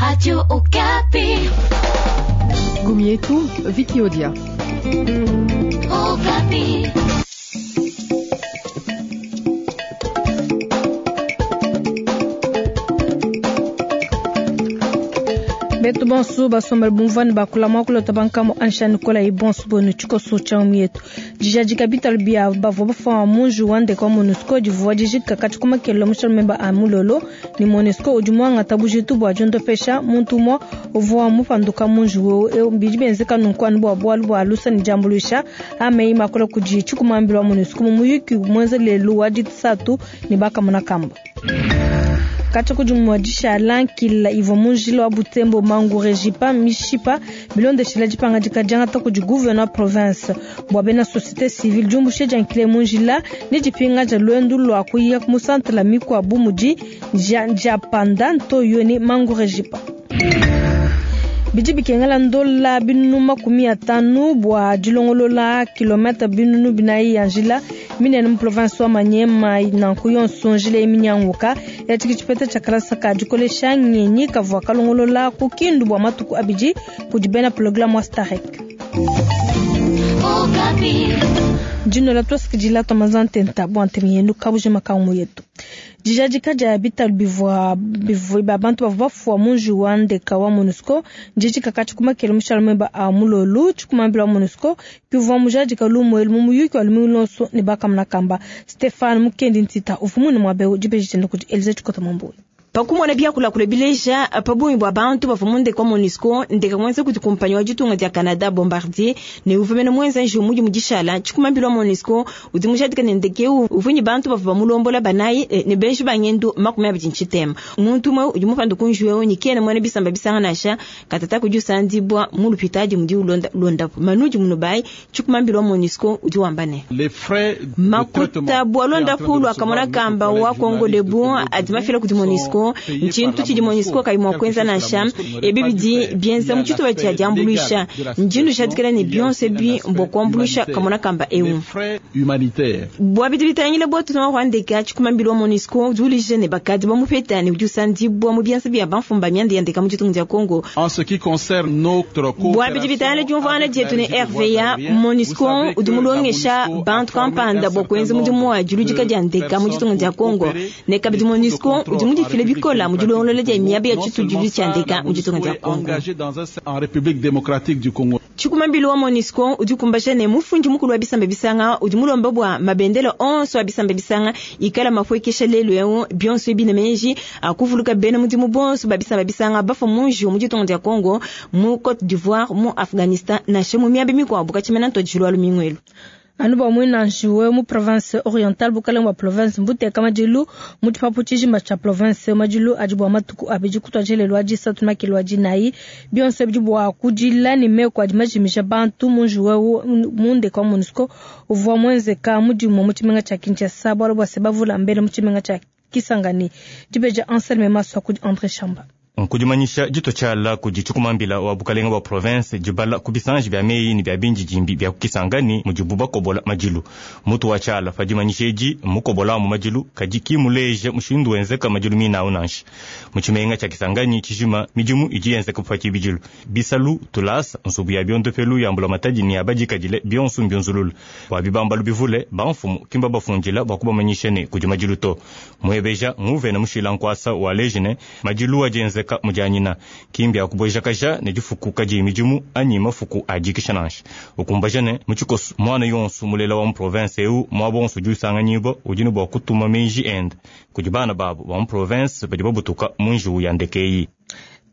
Radio Okapi. Gumietu, Vicky Odia. Okapi. Betu bonsu basombela bumvani bakula mwakulota bankamo ansha nikola ibonsu bonu tshikoso tsha mietu dijadika bitalu bia bavua bafua munju wa ndeke wa MONUSCO divua dijika katshi kumakelo mushalo memba a mulolo ni MONUSCO udi muangata bujitu bua diondopesha muntu umue uvua mupanduka munju wewe bidi bienzeka nunku anu bua bualu bua lusa ne diambuluisha ameyi makola kudi tshikumambila wa MONUSCO mu muyuki muenza lelu wa disatu ne bakamona kamba. Katshi kudi muadisha nkila ivua munjila wa Butembo Mangurejipa mishipa bilondeshela dipangadika diangata kudi gouverneur province bua bena société civile diumbushe dia nkila munjila ne dipinga dia luendu lua kuya mu centre la mikuabu mudi Ndiapanda Ntoyo ne Mangurejipa. Bidi bikengela ndola binunu 50 bua dilongolola kilomètre binunu 40 ya njila minene mu province wa Maniema nanku yonso njila eminyanguka yatshiki tshipeta tshia kalasa ka dikolesha ngenyi kavua kalongolola ku Kindu bua matuku abidi kudi bena programme wa Starek. Dino la twasikidila twamazantenta bua ntemi kabujima kangu yetu. Dijadika dia bitalu bivua bivua bantu bavua bafua munju wa ndeka wa MONUSCO ndijika katshi kumakelo mushalo memba a mulolu tshikumambila wa MONUSCO kivua mujadika lumuelu mu muyuki wa lumingu lonso ne bakamuna kamba Stéphane Mukendi Ntita uvumune mwabeu dibeji tendo kudi Elize Tshikota Mwambuyi. Pakumona byakulakula bileja pabungi bua bantu bavua mu ndeke wa MONUSCO ndeka mwenza kuti kumpanyi wa ditunga dia Canada Bombardier ne uvua mene mwenza njiwu mudi mudishala tshikumambila wa MONUSCO udi mujadika ne ndeke uvua ne bantu bavua bamulombola banayi ne benji ba ngendu 23. Muntu umue udi mupanda ku njiwu eu ne kena muena bisamba bisanga nansha katata kudi usandibua mu lupitadi mudi ulonda londapu manudi munubai tshikumambila wa MONUSCO udi wamba ne makuta bua londapu lwakamona kamba wa Congo Debout adi mafila kudi MONUSCO nchintu tshidi MONUSCO kayi mua kuenza nansha ebi bidi bienza mu tshitupa tshia diambuluisha ndindu jadikela ne bionso ebi mbua kuambuluisha kamona kamba eu bua bidi bitangila bua tutuma rwandeka tshikumambila wa MONUSCO udi ulije ne bakadi bamupeta ne udi usandibua mu bianza bia bamfumba mianda ya ndeka mu ditunga dia Congo. Bua bidi bitangila diumvuana dietu ne RVA MONUSCO udi mulongesha bantu kampanda bua kuenza mudimu wa diludika dia ndeka mu ditunga dia Congo ne kabidi MONUSCO udi mudifile bikola mu dilongolola dia miaba ya tshitudilu tshia ndeka mu ditunga dia Congo. Tshikumambila wa MONUSCO udi kumbasha ne mufundi mukulu wa bisamba bisanga udi mulomba bua mabendela onso a bisamba bisanga ikala mafuekesha lelu eu bionso ebi ne menji akuvuluka bena mudimu bonso ba bisamba bisanga bafua munji mu ditunga dia Congo mu Côte d'Ivoire mu Afghanistan nansha mu miaba mikuabu katshimena ntuadijilu wa lumingu elu. Anu bua muina njiwe mu province orientale bukalenge bua province mbuteka madilu mu tshipapu tshijima tshia province madilu adi bua matuku abidi kutuadija adi isatu makelo adi nayi bionso bidi bua kudila ne meku adi majimisha bantu mu njiwe mu ndeka wa MONUSCO uvua muenzeka mudimu mu tshimenga tshia Kinshasa bualu bua se bavula mbele mu tshimenga tshia Kisangani. Dibeja Anselme Maswa kudi André Chamba. Nkudimanyisha dito tshiala kudi tshikumambila wa bukalenga bua province dibala ku bisanji bia meyi ne bia bindidimbi bia kukisangani mudibu bakobola madilu. Mutu wa tshiala padimanyisha edi mukobola mu madilu kadi kimuleja mushindu wenzeka madilu minawu nansha. Mu tshimenga tshia Kisangani tshijima midimu idi yenzeka pa tshibidilu. Bisalu tulasa nsubu ya biondopelu ya mbula matadi ne ya badikadile bionso mbionzulula. Bua bibambalu bivule bamfumu kimba bafundila bua kubamanyisha ne kudi madilu to. Muebeja nguvena mushila nkwasa wa lejine madilu adienzeka mujanyina kimbi akubwejakaja ne difuku kadi midimu anyi mafuku adikisha nansha. Ukumbaja ne muchikosu mwana yonso mulela wa mu province eu mwa bonso jusanganyibwa udi ne bua kutuma menji ende kudi bana babo ba mu province badi babutuka mu njiwu ya ndeke.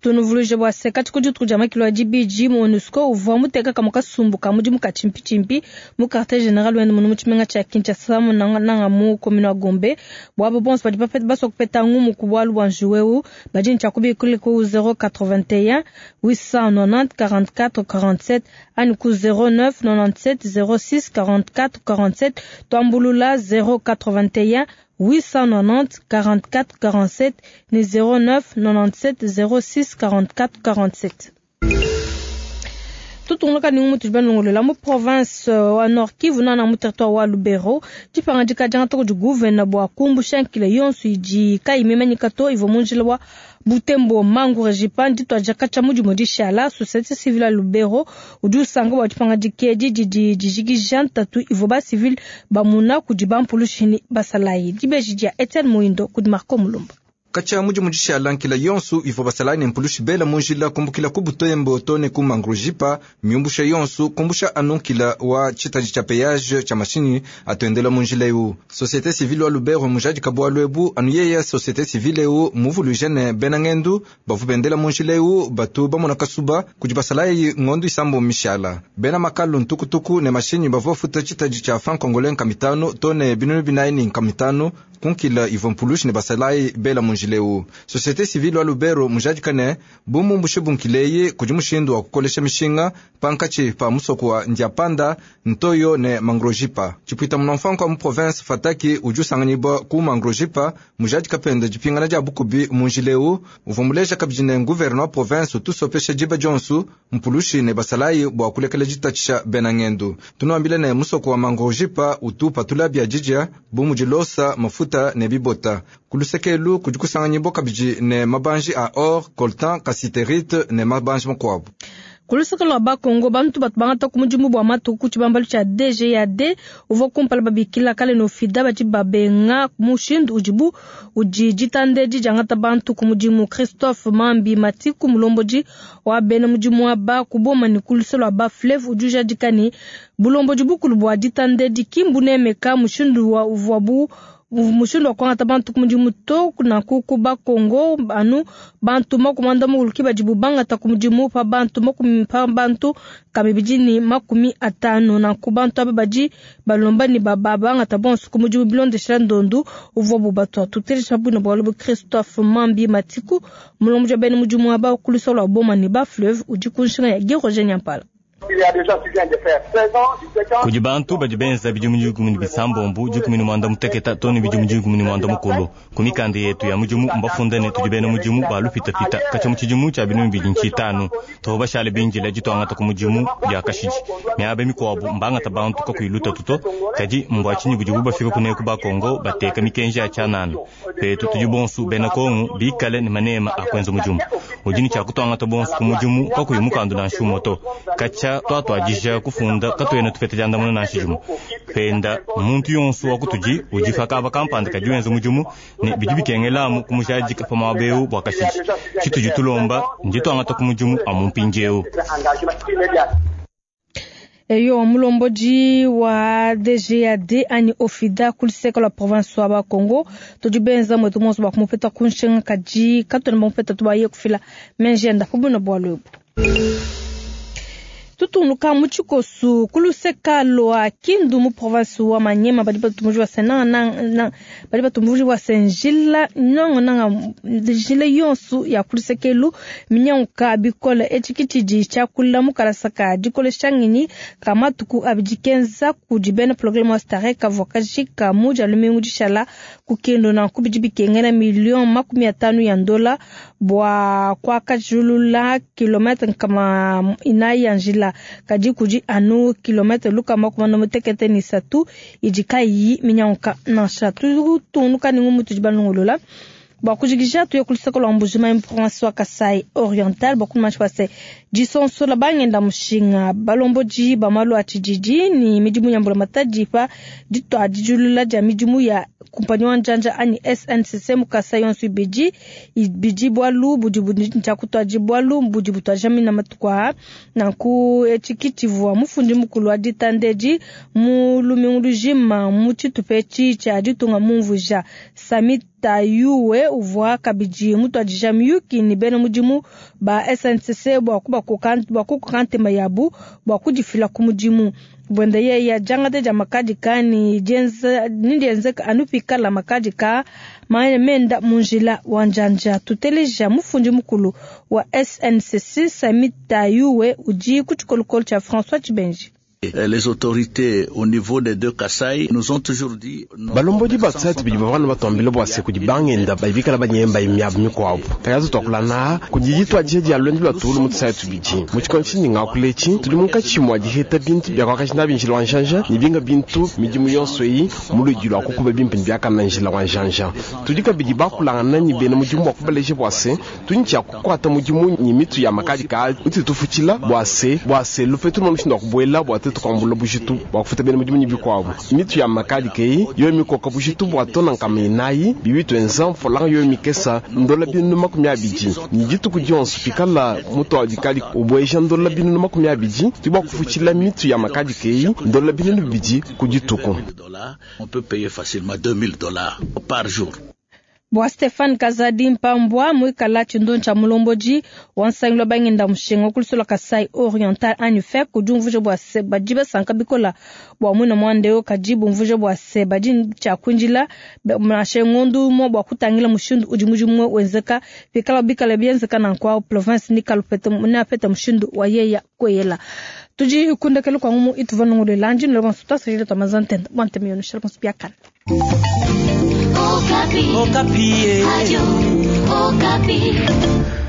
Tunuvuluije bua se kati kudi tukudia makilo ya dibidi MONUSCO uvua muteka kamwe kasumbu ka mudimu ka tshimpi mu quartier général wende munu mu tshimenga tshia Kinshasa nanga mu commune wa Gombe. Bua bonso badi basua kupeta ngumu ku bualu bua njiwu badi ne tshia kubikula ku 081 890 44 47 ani ku 09 97 06 44 47 twambulula 081 890 44 47 ni 09 97 06 44 47. Tutungunuka ne ngumu tudi balongolola mu province wa Nord Kivu nana mu territoire wa Lubero. Dipangadika diangata kudi gouverneur bua kumbusha nkila yonso idi kayi mimanyika to ivua mu njila wa Butembo Mangurejipa ndituadija katshia mu dimue dishala. Société civile ya Lubero udi usanka bua dipangadika edi didi dijikija ntatu ivua ba civile bamuna kudi bampulushi ne basalayi. Dibeji dia Etienne Muindo kudi Marco Mulumba. Katshia mudimu dishala nkila yonso ivua basalayi ne mpulushi bela mu njila kumbukila ku Butembo to ne ku Mangurejipa miumbusha yonso kumbusha anu nkila wa tshitadi tshia péage tshia mashinyi atuendela mu njila eu. Société civile wa Lubero mujadika bualu ebu anu yeya société civile eu muvuluije ne bena ngendu bavu bendela mu njila eu batu bamona kasuba kudi basalayi ngondu isambo mishala. Bena makalu ntukutuku ne mashinyi bavua bafuta tshitadi tshia franc congolais nkamitano to ne binunu binayi ne nkamitano kunkila ivua mpulushi ne basalayi bela mu njila eu. Société civile wa Lubero mujadika ne bumumbushe bunkileyi kudi mushindu wa kukolesha mishinga pankatshi pa musoko wa Ndiapanda Ntoyo ne Mangrojipa. Tshipwita munamfanko wa mu province Fataki udi usanganyibwa ku Mangrojipa mujadika penda dipingana dia bukubi mu njila eu uvua muleja kabidi ne gouverneur wa province utusopesha diba dionso mpulushi ne basalayi bua kulekela ditatshisha bena ngendu. Tunuambile ne musoko wa Mangrojipa utu patula bia didia bu mudi losa mafuta ne bibota. Kulusekelu kudi kusanganyibwa kabidi ne mabanji a or, coltan, cassiterite ne mabanji makuabu. Kulusaka lwa Bakongo bantu batu bangata ku mudimu bua matuku ku tshibambalu tshia DGAD uvua kumpala babikila kale no FIDA badi babenga mushindu udibu udi ditande diangata bantu ku mudimu. Christophe Mambi Matiku mulombodi wa bena mudimu wa ba kuboma ne kulusa lwa ba Flev udi ujadika ne bulombodi bukulu bua ditande dikimbu nemeka mushindu wa uvuabu mushindu wa kuangata bantu ku mudimu to nanku ku Bakongo anu bantu makumanda mukulu badibu bangata ku mudimu pa bantu makumi pa bantu kamibidi ne 50 nanku bantu aba badi balomba ne baba bangata bonso ku mudimu bilondeshela ndondu uvuabu batua. Tutelesha bwino bualu bu Christophe Mambi Matiku mulombodi wa bena mudimu aba kulusa lwa Boma ne ba Fleuve udi ku nshinga ya Guy Roger Nyampala. Kudi bantu badi benza bidimu dikumi ne bisambombo dikumi ne mwanda muteketa to ne bidimu dikumi ne mwanda mukulu. Ku mikanda yetu ya mudimu mbafunda ne tudi bena mudimu ba lupitapita katshia mu tshidimu tshia binunu bibidi ntshitanu tuvua bashale binjila dituangata ku mudimu dia kashidi. Miaba mikuabu mbangata bantu kakuyi lutatu to, kadi mbua tshinyi budibu bafika kuneku Bakongo bateka mikenji ya tshianana. Petu tudi bonso bena Kongo bikale ne manema a kuenza mudimu. Udi ne tshia kutuangata bonso ku mudimu kakuyi mukandu nansha umue to. Katshia twatwadija kufunda katuena tupeta diandamuna nansha dimue. Penda muntu yonso wa kutudi udi fakaba kampanda kadi wenza mudimu ne bidi bikengelamu kumujadika pa muaba eu bua kashidi. Tshitudi tulomba ndituangata ku mudimu amu mpindiewu. Eyo mulombodi wa DGAD ani Ofida kuliseka la province wa Bakongo tudi benza mwetu monso bua kumupeta ku nshinga kadi katuena bamupeta tubaye kufila menjenda kubuna bualu ebu. Tutunuka mu tshikosu kuluseka lwa Kindu mu province wa Manyema badi batumbuji wa senanga badi batumbuji wa senjila nongo nanga njila yonsu ya kulusekelu minyanguka bikola etshikitshidi tshia mu kalasaka dikolesha ngenyi ka matuku abidi kenza kudi bena programme wa Starek kavua kajika mu dia lumingu dishala ku Kindu nanku bidi bikengela million 50 ya ndola bua kuakajulula kilometre nkama inayi ya njila kadi kudi anu kilometre lukama kumana mutekete ni satu idi kayi minyanguka nansha. Tutunuka ni ngumu tudi balongolola bua kujikija tuye kulusaka lwa Mbuji-Mayi mu province wa Kasai Oriental bua kumanyishi bua se disonsola bangenda mushinga balombodi ba malu a tshididi ni midimu ya mbulamatadi pa ditua dijulula dia midimu ya kumpanyi wa njanja ani SNCC mu Kasai yonso ibidi ibidi bualu budi budi kutuadi bualu budi butuaja mina matuku aa nanku etshi tshivua mufundi mukulu wa ditandedi mu lumingu lujima mu tshitupa etshi tshia ditunga mumvuija Sami Tayuwe uvua kabidi mutuadija miyuki ni bena mudimu ba SNCC bua kukoka ntema yabu bua kudifila ku mudimu. Bwenda yeya jangate dia makadika ni dienzeka anu pikala makadika menda mu njila wa njanja. Tuteleja mufundi mukulu wa SNCC Sami Tayuwe udi ku tshikolokolo tshia François Tshibenji. Les autorités au niveau des deux Kasaï nous ont toujours dit Balombodi ba tusai tubidi bavua batuambila bua se kudi bangenda bikala banyemba miabu mikuabu takazi tuakulana kudi dituadija dia luendu lua tuulu mu tusai tubidi mu tshikondo tshindi ngakuletshi tudi munkatshi mua diheta bintu bia kuakaji nabi njila wa njanja ne binga bintu midimu yonso eyi mu ludi lua kukuba bimpe ne biakana njila wa njanja. Tudi kabidi bakulangana ne bena mudimu bua kubaleja bua se tudi tshia kukuata mudimu ne mitu ya makadi ka uti tufutshila bua se lupetu lua mushindu wa kubuela bua tetu kuambula bujitu bua kufuta bena mudimu ne bikuabu. Mitu ya makadi keyi yoyo mikoka bujitu bua tona nkama inayi bibi tuenza mfolanga yoyo mikesa ndola 220 ne dituku dionso pikala mutu wa dikali ubueja ndola 220 tudi bua kufutshila mitu ya makadi keyi ndola 200 ku dituku. On peut payer facilement 2000 $ par jour. Bua Stefan Kazadi Mpambwa mwikala tshindu tsha mulomboji wa nsangilu wa bangenda mushinga kulusolo Kasai Oriental anyi FEC udi umvuija bua se badi basanka bikola bua mwina muanda kadi bumvuija bua se badi tshia kuindila nansha ngondu umue bua kutangila mushindu udi mudimu wenzeka pikala bikala bienzeka nanku province nikalupete neapete mushindu wa yeya kweyela. Tudi kundekelu kwa ngumu ituva nongolela ndino bonso twasajile twa mazantenda bua ntemi yonu shala bonso biakana. Okapi. Okapi. Radio Okapi.